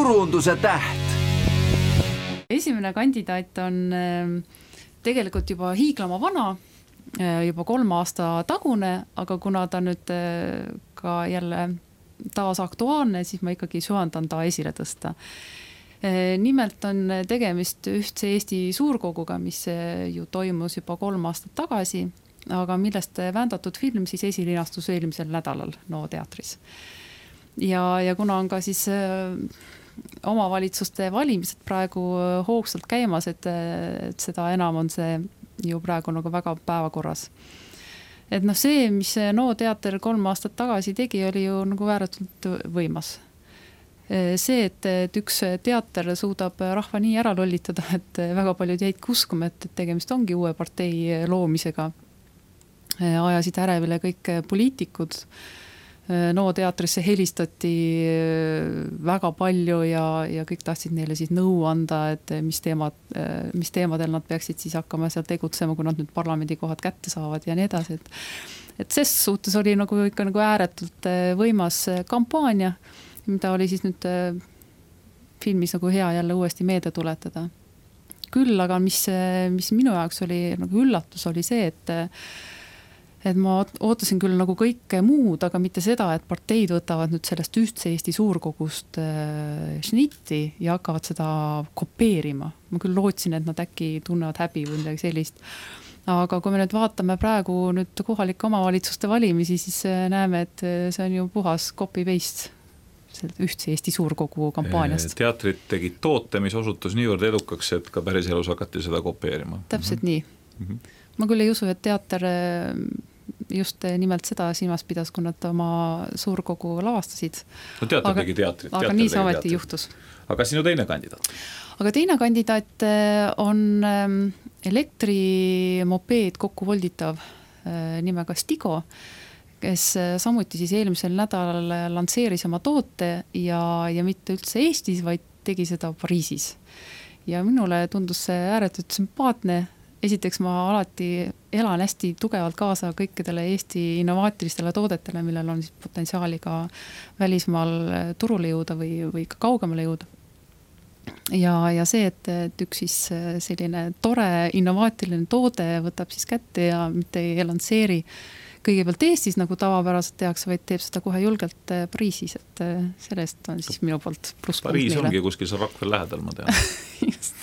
turunduse täht. Esimene kandidaat on tegelikult juba hiiglama vana, juba 3 aasta tagune, aga kuna ta nüüd ka jälle taas aktuaalne, siis ma ikkagi süvandan ta esile tõsta. Nimelt on tegemist Ühtse Eesti suurkoguga, mis ju toimus juba 3 aastat tagasi, aga millest vändatud film siis esilinastus eelmisel nädalal NO teatris. Ja kuna on ka siis omavalitsuste valimised praegu hoogsalt käimas, et seda enam on see ju praegu nagu väga päevakorras. Et see, mis NO teater 3 aastat tagasi tegi, oli ju nagu ääretult võimas. See, et üks teater suudab rahva nii ära lollitada, et väga paljud jäid uskuma, et tegemist ongi uue partei loomisega. Ajasid ärevile kõik poliitikud. NO teatrisse helistati väga palju ja kõik tahtsid neile siis nõu anda, et mis teemadel nad peaksid siis hakkama seal tegutsema, kui nad nüüd parlamendikohad kätte saavad ja nii edasi. Et ses suhtes oli nagu ikka nagu ääretult võimas kampaania, mida oli siis nüüd filmis nagu hea jälle uuesti meelde tuletada. Küll, aga mis minu jaoks oli nagu üllatus, oli see, et ma ootasin küll nagu kõike muud, aga mitte seda, et parteid võtavad nüüd sellest Ühtse Eesti suurkogust šnitti ja hakkavad seda kopeerima. Ma küll lootsin, et nad äkki tunnevad häbi või midagi sellist. Aga kui me nüüd vaatame praegu nüüd kohalike omavalitsuste valimisi, siis näeme, et see on ju puhas copy-paste Ühtse Eesti suurkogu kampaaniast. Teatrid tegid toote, mis osutus niivõrd edukaks, et ka päris elus hakati seda kopeerima. Täpselt nii. Ma küll ei usu, et teater just nimelt seda silmas pidas, kui nad oma suurkogu lavastasid. No teater tegi teatrit. Aga nii see ometi juhtus. Aga sinu teine kandidaat? Aga teine kandidaat on elektrimopeed kokku volditav nimega Stigo, kes samuti siis eelmisel nädalal lantseeris oma toote ja mitte üldse Eestis, vaid tegi seda Pariisis. Ja minule tundus see ääretult sümpaatne. Esiteks ma alati elan hästi tugevalt kaasa kõikidele Eesti innovaatilistele toodetele, millel on siis potentsiaali ka välismaal turule jõuda või ka kaugemale jõuda. Ja see, et üks siis selline tore innovaatiline toode võtab siis kätte ja mitte ei lantseeri kõigepealt Eestis, nagu tavapäraselt tehakse, vaid teeb seda kohe julgelt Pariisis, et sellest on siis minu poolt pluss. Pariis ongi kuskil seal Rakvere lähedal, ma tean. Just.